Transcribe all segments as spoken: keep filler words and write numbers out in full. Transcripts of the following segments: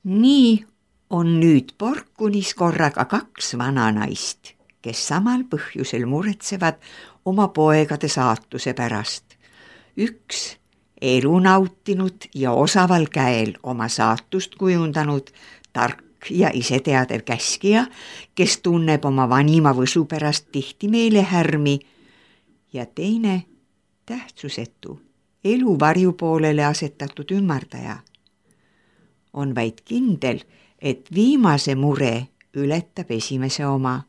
Nii on nüüd Porkunis korraga kaks vananaist, kes samal põhjusel muretsevad oma poegade saatuse pärast. Üks elu nautinud ja osaval käel oma saatust kujundanud tark ja iseteadev käskija, kes tunneb oma vanima võsu pärast tihti meelehärmi, ja teine tähtsusetu, elu varjupoolele asetatud ümmardaja. On vaid kindel, et viimase mure ületab esimese oma.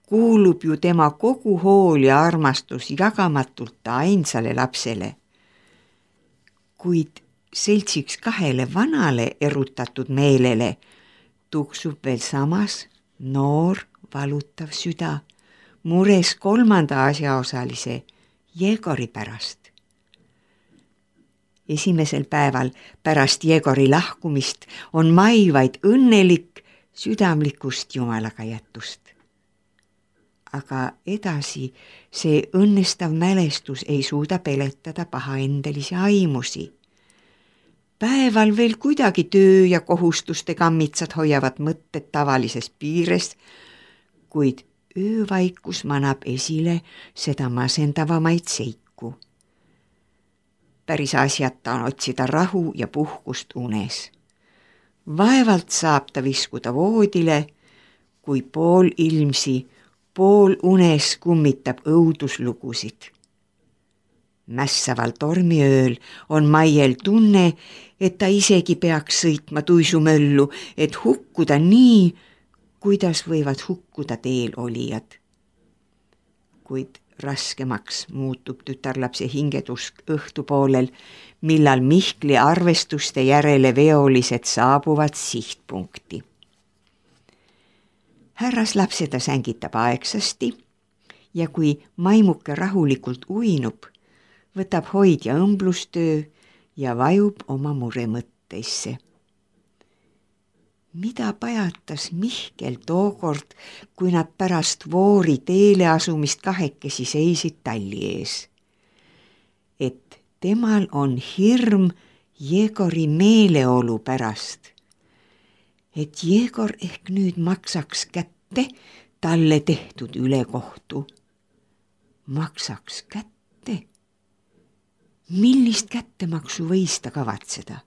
Kuulub ju tema kogu hool ja armastus jagamatult ainsale lapsele. Kuid seltsiks kahele vanale erutatud meelele tuksub veel samas noor valutav süda, mures kolmanda asjaosalise Jegori pärast. Esimesel päeval pärast Jegori lahkumist on Mai vaid õnnelik südamlikust jumalaga jätust. Aga edasi see õnnestav mälestus ei suuda peletada pahaendelisi aimusi. Päeval veel kuidagi töö ja kohustuste kammitsad hoiavad mõtted tavalises piires, kuid öövaikus manab esile seda masendavamaid seiku. Päris asjata on otsida rahu ja puhkust unes. Vaevalt saab ta viskuda voodile, kui pool ilmsi, pool unes kummitab õuduslugusid. Mässaval tormiööl on Maiel tunne, et ta isegi peaks sõitma tuisumöllu, et hukkuda nii, kuidas võivad hukkuda teel olijad. Kuid raskemaks muutub tütarlapse hingetusk õhtupoolel, millal Mihkli arvestuste järele veolised saabuvad sihtpunkti. Härras lapse ta sängitab aegsasti ja kui Maimuke rahulikult uinub, võtab hoidja õmblustöö ja vajub oma muremõtteisse. Mida pajatas Mihkel tookord, kui nad pärast Voori teele asumist kahekesi seisid talli ees? Et temal on hirm Jegori meeleolu pärast. Et Jegor ehk nüüd maksaks kätte talle tehtud ülekohtu. Maksaks kätte? Millist kättemaksu võis ta kavatseda?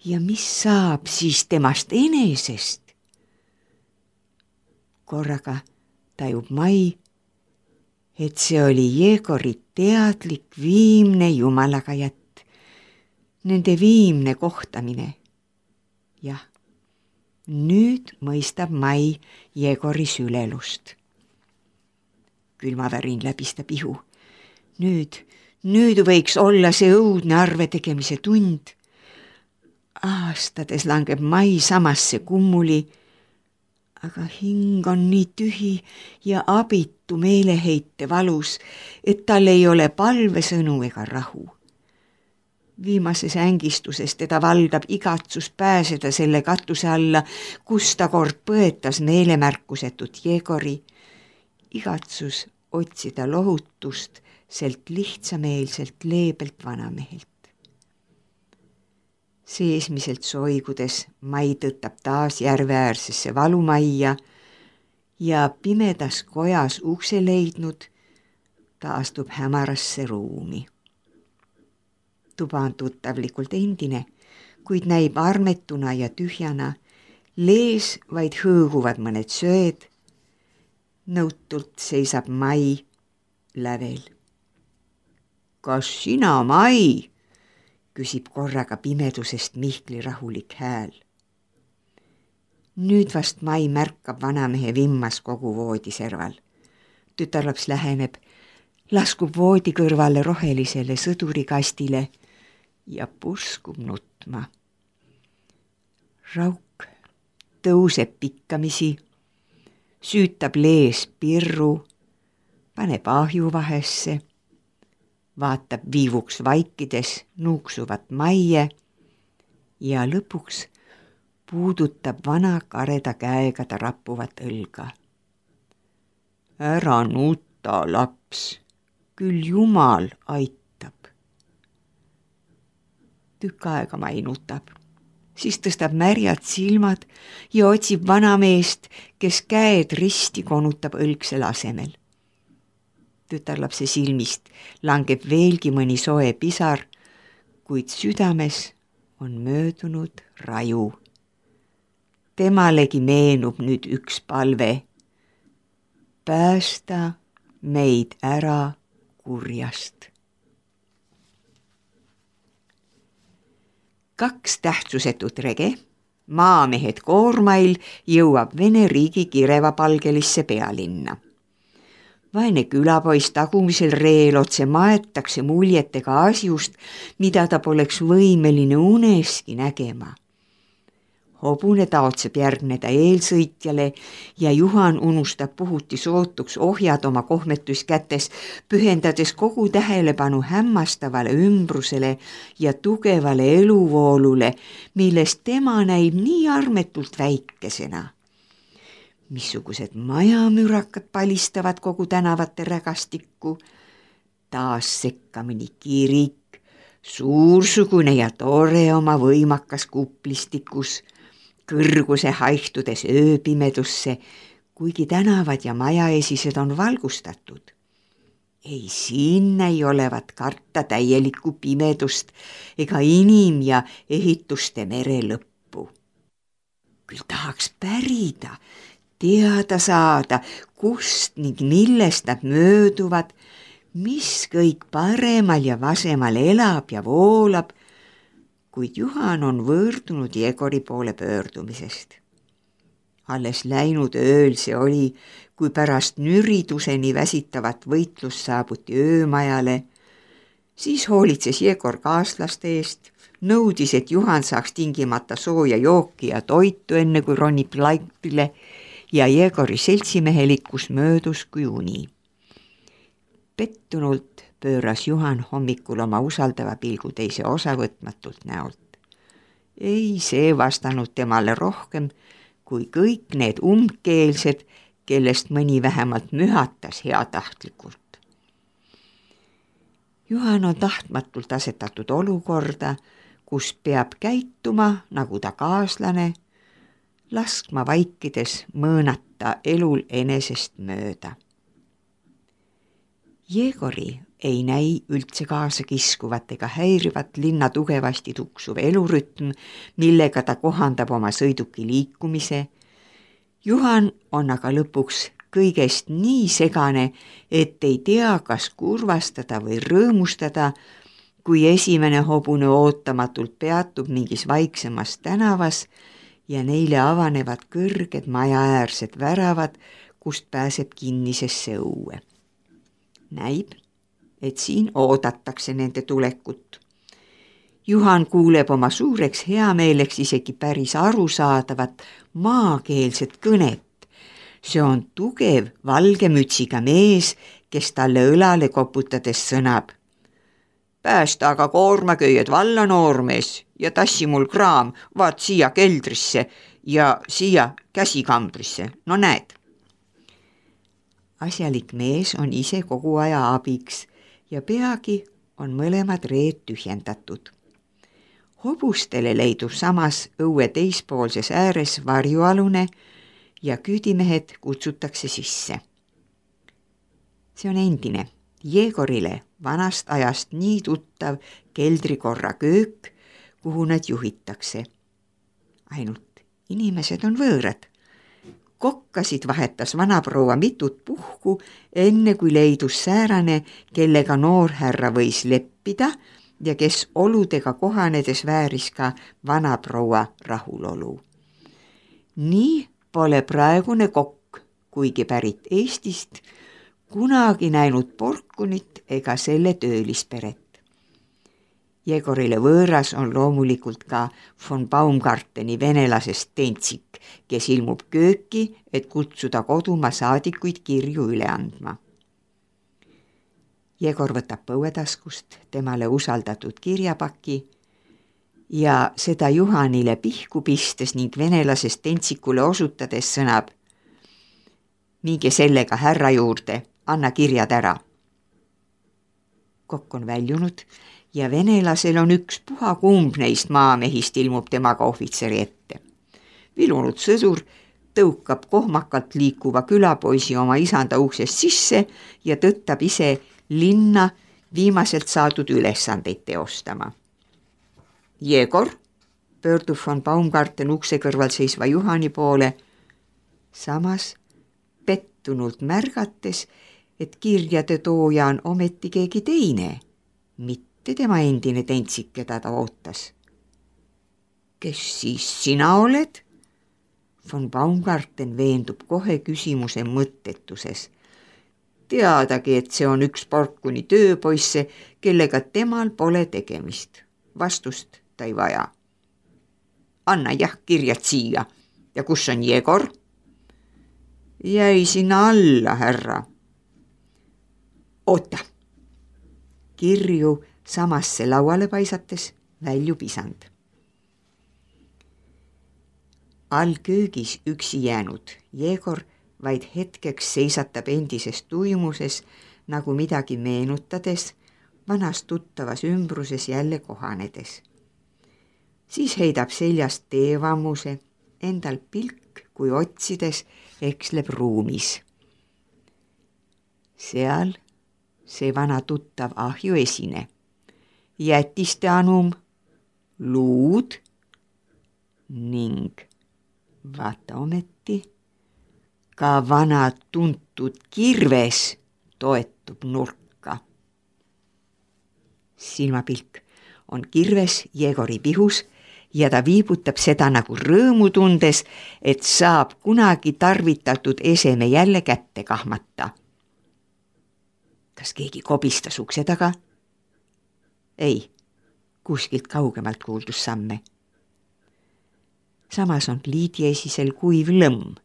Ja mis saab siis temast enesest? Korraga tajub Mai, et see oli Jegori teadlik viimne jumalaga jätt, nende viimne kohtamine. Jah, nüüd mõistab Mai Jegori sülelust. Külmavärin läbistab ihu. Nüüd, nüüd võiks olla see õudne arve tegemise tund. Aastades langeb Mai samasse kummuli, aga hing on nii tühi ja abitu meeleheite valus, et tal ei ole palvesõnu ega rahu. Viimases ängistuses teda valdab igatsus pääseda selle katuse alla, kus ta kord põetas meelemärkusetut Jegori, igatsus otsida lohutust selt lihtsameelselt leebelt vanamehelt. Seesmiselt soigudes Mai tõttab taas järveäärsesse valumajja ja pimedas kojas ukse leidnud, ta astub hämarasse ruumi. Tuba on tuttavlikult endine, kuid näib armetuna ja tühjana, lees vaid hõõguvad mõned söed. Nõutult seisab Mai lävel. Kas sina, Mai? Küsib korraga pimedusest Mihkli rahulik hääl. Nüüd vast Mai märkab vanamehe vimmas kogu voodiserval. Tütarlaps läheneb, laskub voodi kõrvale rohelisele sõdurikastile ja puskub nutma. Rauk tõuseb pikkamisi, süütab lees pirru, paneb ahju vahesse, vaatab viivuks vaikides nuuksuvat Maie ja lõpuks puudutab vana kareda käega ta rappuvat õlga. Ära nuta, laps, küll Jumal aitab. Tükk aega Mai nutab, siis tõstab märjad silmad ja otsib vanameest, kes käed risti konutab õlgsel asemel. Tütarlapse silmist langeb veelgi mõni soe pisar, kuid südames on möödunud raju. Temalegi meenub nüüd üks palve. Päästa meid ära kurjast. Kaks tähtsusetut rege, maamehed koormail, jõuab Vene riigi kirevapalgelisse pealinna. Vaene külapoiss tagumisel reel otse maetakse muljetega asjust, mida ta poleks võimeline uneski nägema. Hobune taotseb järgneda eelsõitjale ja Juhan unustab puhuti sootuks ohjad oma kohmetus kätes, pühendades kogu tähelepanu hämmastavale ümbrusele ja tugevale eluvoolule, millest tema näib nii armetult väikesena. Missugused majamürakad palistavad kogu tänavate rägastikku, taas sekkamini kirik, suursugune ja tore oma võimakas kuplistikus, kõrguse haihtudes ööpimedusse, kuigi tänavad ja majaesised on valgustatud. Ei siin ei olevat karta täielikku pimedust ega inim- ja ehituste mere lõppu. Küll tahaks pärida, teada saada, kust ning millest nad mööduvad, mis kõik paremal ja vasemal elab ja voolab, kuid Juhan on võõrdunud Jegori poole pöördumisest. Alles läinud ööl see oli, kui pärast nüriduseni väsitavat võitlust saabuti öömajale, siis hoolitses Jegor kaaslaste eest, nõudis, et Juhan saaks tingimata sooja jooki ja toitu enne kui ronib laipile ja Jegori seltsimehelikkus möödus kui uni. Pettunult pööras Juhan hommikul oma usaldava pilgu teise osavõtmatult näolt. Ei see vastanud temale rohkem kui kõik need umbkeelsed, kellest mõni vähemalt mühatas heatahtlikult. Juhan on tahtmatult asetatud olukorda, kus peab käituma nagu ta kaaslane, laskma vaikides mõõnata elul enesest mööda. Jegori ei näi üldse kaasa kiskuvat ega häirivat linna tugevasti tuksuv elurütm, millega ta kohandab oma sõiduki liikumise. Juhan on aga lõpuks kõigest nii segane, et ei tea, kas kurvastada või rõõmustada, kui esimene hobune ootamatult peatub mingis vaiksemas tänavas ja neile avanevad kõrged majaäärsed väravad, kust pääseb kinnisesse õue. Näib, et siin oodatakse nende tulekut. Juhan kuuleb oma suureks heameeleks isegi päris arusaadavat maakeelset kõnet. See on tugev valge mütsiga mees, kes talle õlale koputades sõnab. Päästa aga koormaköied valla, noormees, ja tassi mul kraam, vaat siia keldrisse ja siia käsikambrisse. No näed. Asjalik mees on ise kogu aja abiks ja peagi on mõlemad reed tühjendatud. Hobustele leidub samas õue teispoolses ääres varjualune ja küüdimehed kutsutakse sisse. See on endine, Jegorile vanast ajast nii tuttav keldrikorra köök, kuhu nad juhitakse. Ainult inimesed on võõrad. Kokkasid vahetas vanaproua mitut puhku, enne kui leidus säärane, kellega noorhärra võis leppida ja kes oludega kohanedes vääris ka vanaproua rahulolu. Nii pole praegune kokk, kuigi pärit Eestist, kunagi näinud porkunit ega selle töölisperet. Jegorile võõras on loomulikult ka von Baumgarteni venelasest Tentsik, kes ilmub kööki, et kutsuda kodumaa saadikuid kirju üle andma. Jegor võtab põuetaskust temale usaldatud kirjapaki ja seda Juhanile pihku pistes ning venelasest Tentsikule osutades sõnab: minge sellega härra juurde, anna kirjad ära. Kokk on väljunud ja venelasel on üks puha kumb neist maamehist ilmub temaga ohvitseri ette. Vilunud sõdur tõukab kohmakalt liikuva külapoisi oma isanda uksest sisse ja tõttab ise linna viimaselt saadud ülesandeid teostama. Jegor, pöördub von Baumgarten ukse kõrval seisva Juhani poole, samas pettunult märgates, et kirjade tooja on ometi keegi teine, mitte tema endine tentsik, keda ta ootas. Kes siis sina oled? Von Baumgarten veendub kohe küsimuse mõttetuses. Teadagi, et see on üks Porkuni tööpoisse, kellega temal pole tegemist. Vastust ta ei vaja. Anna jah kirjad siia. Ja kus on Jegor? Jäi sinna alla, härra. Oota. Kirju samasse lauale paisates väljub isand. All köögis üksi jäänud Jegor vaid hetkeks seisatab endises tuimuses, nagu midagi meenutades, vanas tuttavas ümbruses jälle kohanedes. Siis heidab seljast teevammuse, endal pilk, kui otsides eksleb ruumis. Seal see vana tuttav ahju esine. Jätiste anum, luud ning vaata ometi, ka vana tuntud kirves toetub nurka. Silmapilk on kirves Jegori pihus ja ta viibutab seda nagu rõõmu tundes, et saab kunagi tarvitatud eseme jälle kätte kahmata. Kas keegi kobistas ukse taga? Ei, kuskilt kaugemalt kuuldus samme. Samas on pliidiesisel kuiv lõmm.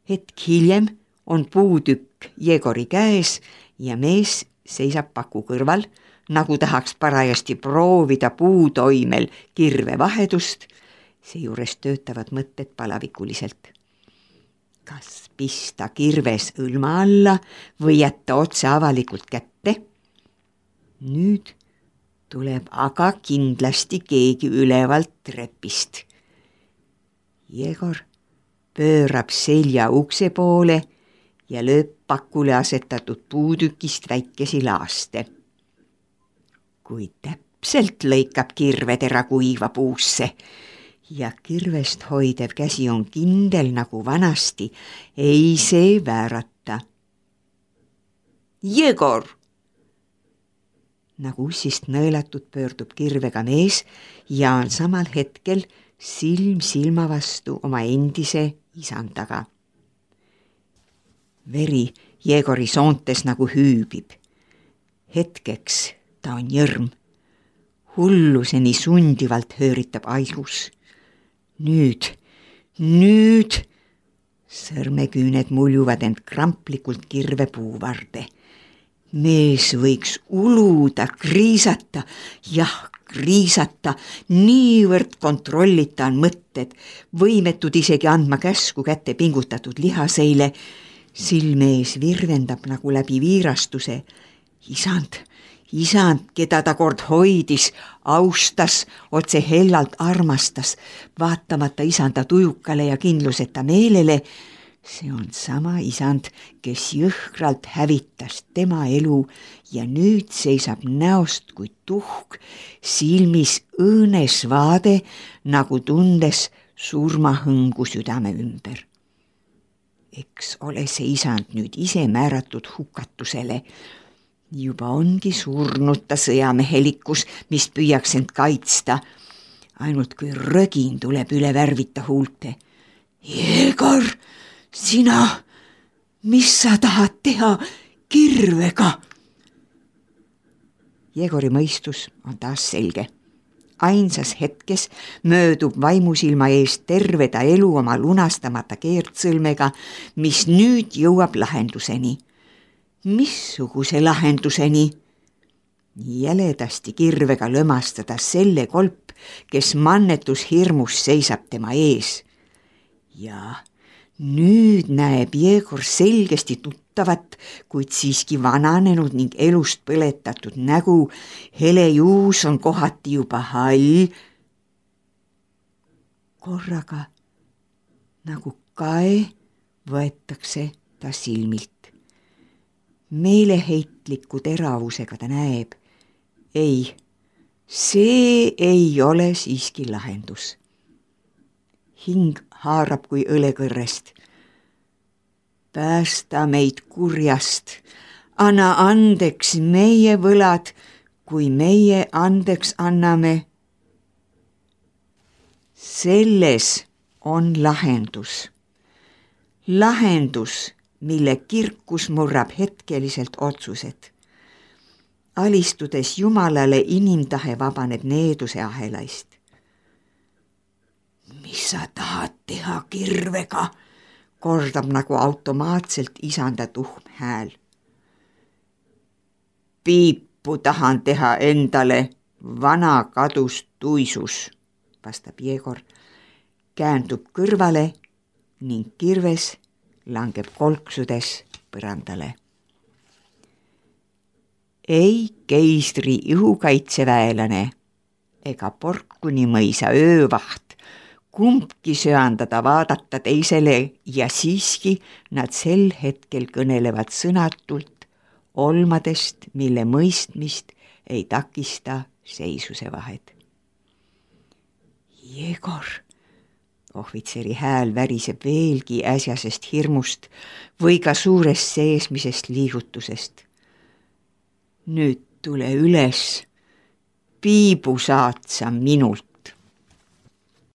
Hetk hiljem on puutükk Jegori käes ja mees seisab paku kõrval, nagu tahaks parajasti proovida puutoimel kirve vahedust, seejuures töötavad mõtted palavikuliselt. Kas pista kirves õlma alla või jätta otse avalikult kätte? Nüüd tuleb aga kindlasti keegi ülevalt trepist. Jegor pöörab selja ukse poole ja lööb pakule asetatud puutükist väikesi laaste. Kui täpselt lõikab kirvetera kuiva puusse ja kirvest hoidev käsi on kindel nagu vanasti, ei see väärata. Jegor! Nagu ussist nõelatud pöördub kirvega mees ja on samal hetkel silm silma vastu oma endise isandaga. Veri Jegori soontes nagu hüübib. Hetkeks ta on jõrm. Hulluseni sundivalt hööritab ajus. Nüüd, nüüd sõrmeküüned muljuvad end kramplikult kirve puuvarde. Mees võiks uluda, kriisata, jah, kriisata, niivõrd kontrollita on mõtted, võimetud isegi andma käsku kätte pingutatud lihaseile. Silmees virvendab nagu läbi viirastuse. Isand, isand, keda ta kord hoidis, austas, otse hellalt armastas, vaatamata isanda tujukale ja kindluseta meelele. See on sama isand, kes jõhkralt hävitas tema elu ja nüüd seisab näost kui tuhk, silmis õõnes vaade, nagu tundes surmahõngu südame ümber. Eks ole see isand nüüd ise määratud hukatusele. Juba ongi surnud ta sõjamehelikkus, mis püüaks end kaitsta. Ainult kui rögin tuleb üle värvita huulte. Jegor! Sina, mis sa tahad teha kirvega? Jegori mõistus on taas selge. Ainsas hetkes möödub vaimusilma eest terve ta elu oma lunastamata keertsõlmega, mis nüüd jõuab lahenduseni. Missuguse lahenduseni? Jäledasti kirvega lömastada selle kolp, kes mannetus hirmus seisab tema ees. Ja Nüüd näeb Jegor selgesti tuttavat, kuid siiski vananenud ning elust põletatud nägu. Helejuus on kohati juba hall. korraga nagu kae võetakse ta silmilt. Meeleheitliku teravusega ta näeb. Ei, see ei ole siiski lahendus. Hing haarab kui õlekõrrest. Päästa meid kurjast, anna andeks meie võlad, kui meie andeks anname. Selles on lahendus. Lahendus, mille kirkus murrab hetkeliselt otsused. Alistudes Jumalale inimtahe vabaneb needuse ahelaist. Mis sa tahad teha kirvega, kordab nagu automaatselt isanda tuhm hääl. Piipu tahan teha endale, vana kadus tuisus, vastab Jegor, käändub kõrvale ning kirves langeb kolksudes põrandale. Ei keisri ihukaitseväelane ega Porkuni mõisa öövaht kumbki söandada vaadata teisele ja siiski nad sel hetkel kõnelevad sõnatult olmadest, mille mõistmist ei takista seisuse vahed. Jegor, ohvitseri hääl väriseb veelgi äsjasest hirmust või ka suurest seesmisest liigutusest. Nüüd tule üles, piibu saad sa minult.